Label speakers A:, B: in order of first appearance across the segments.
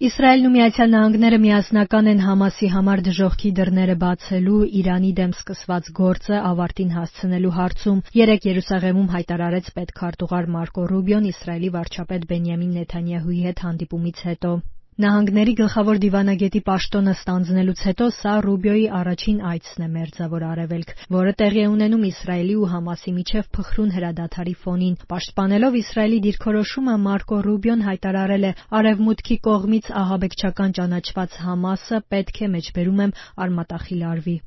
A: Իսրայելն ու Միացյալ Նահանգները միասնական են Համասի համար դժոխքի դռները բացելու Իրանի դեմ սկսված գործը ավարտին հասցնելու հարցում, երեկ Երուսաղեմում հայտարարեց պետքարտուղար Մարկո Ռուբիոն Իսրայելի վարչապետ Բենյամին Նեթանյահուի հետ հանդիպումից հետո։ Նահանգների գլխավոր դիվանագետի պաշտոնը ստանձնելուց հետո սա Ռուբիոյի առաջին այցն է Մերձավոր Արևելք, որը տեղի է ունենում Իսրայելի ու Համասի միջև փխրուն հրադադարի ֆոնին։ Պաշտպանելով Իսրայելի դիրքորոշումը Մարկո Ռուբիոն հայտարարել է. «Արևմուտքի կողմից ահաբեկչական ճանաչված Համասը պետք է մեջբերում եմ արմատախիլ արվի»։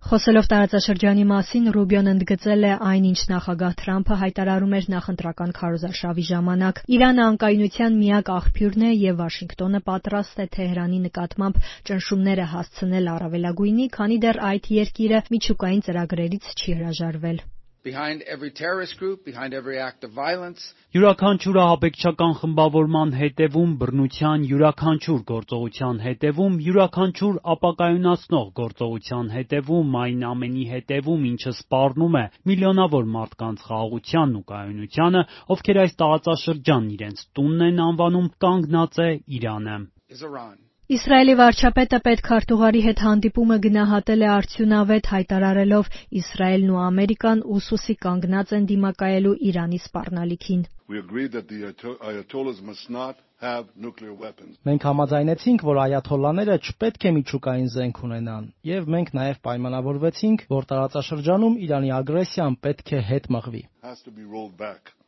A: Խոսելով տարածաշրջանի մասին, Ռուբիոն ընդգծել է այն, ինչ նախագահ Թրամփը հայտարարում էր նախընտրական քարոզարշավի ժամանակ. «Իրանը անկայունության միակ աղբյուրն է եւ Վաշինգտոնը պատրաստ է Թեհրանի նկատմամբ ճնշումները հասցնել առավելագույնի, քանի դեռ այդ երկիրը միջուկային ծրագրերից չի հրաժարվել»։
B: Յուրաքանչյուր ահաբեկչական խմբավորման հետևում, բռնության յուրաքանչյուր գործողության հետևում, յուրաքանչյուր ապակայունացնող գործողության հետևում, այն ամենի հետևում, ինչը սպառնում է միլիոնավոր մարդկանց խաղաղությանն ու կայունությանը, ովքեր այս տարածաշրջանն իրենց տունն են անվանում, կանգնած է Իրանը։
A: Իսրայելի վարչապետը պետքարտուղարի հետ հանդիպումը գնահատել է արդյունավետ, հայտարարելով. «Իսրայելն ու Ամերիկան ուսուսի կանգնած են դիմակայելու Իրանի սպառնալիքին»։
C: Մենք համաձայնեցինք, որ այաթոլլաները չպետք է միջուկային զենք ունենան, եւ մենք նաեւ պայմանավորվեցինք, որ տարածաշրջանում Իրանի ագրեսիան պետք է հետ մղվի։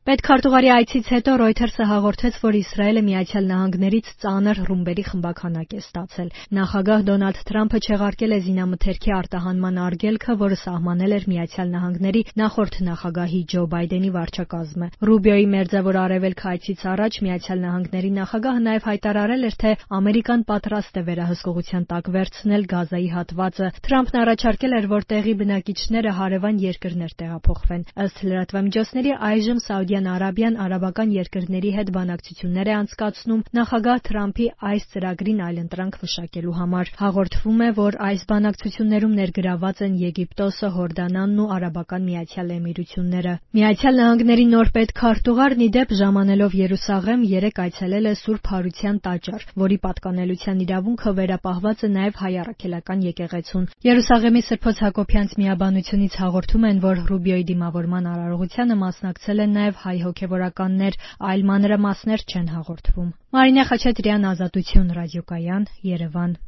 A: Պետքարտուղարի այցից հետո Reuters-ը հաղորդեց, որ Իսրայելը Միացյալ Նահանգներից ծանր ռումբերի խմբաքանակ է ստացել։ Նախագահ Դոնալդ Թրամփը չեղարկել է զինամթերքի արտահանման արգելքը, որը սահմանել էր Միացյալ Նահանգների նախորդ նախագահի Ջո Բայդենի վարչակազմը։ Ռուբիոյի Մերձավոր Արևելք այցից առաջ Միացյալ Նահանգների նախագահը նաև հայտարարել էր, թե Ամերիկան պատրաստ է վերահսկողության տակ վերցնել Գազայի հատվածը։ Թրամփն առաջարկել էր, որ տեղի բնակիչները հարևան երկրներ տեղափոխվեն։ Ըստ լրատվամիջոցների, այժմ Սաուդյան Արաբիան արաբական երկրների հետ բանակցություններ է անցկացնում նախագահ Թրամփի այս ծրագրին այլընտրանք մշակելու համար։ Հաղորդվում է, որ այս բանակցություններում ներգրաված են Եգիպտոսը, Հորդանանն ու Արաբական Միացյալ Էմիրությունները։ Միացյալ Նահանգների նոր պետքարտուղարն ի դեպ ժամանելով Երուսաղեմ երեկ այցելել է Սուրբ Հարության տաճար, որի պատկանելության իրավունքը վերապահված է նաև հայ առաքելական եկեղեցուն։ Երուսաղեմի Սրբոց Հակոբյանց միաբանությունից հաղորդում են, որ Ռուբիոյի դիմավորման արարողությանը մասնակցել են նաև հայ հոգևորականներ, այլ մանրամասներ չեն հաղորդվում։ Մարինե Խաչատրյան, Ազատություն ռադիոկայան, Երևան։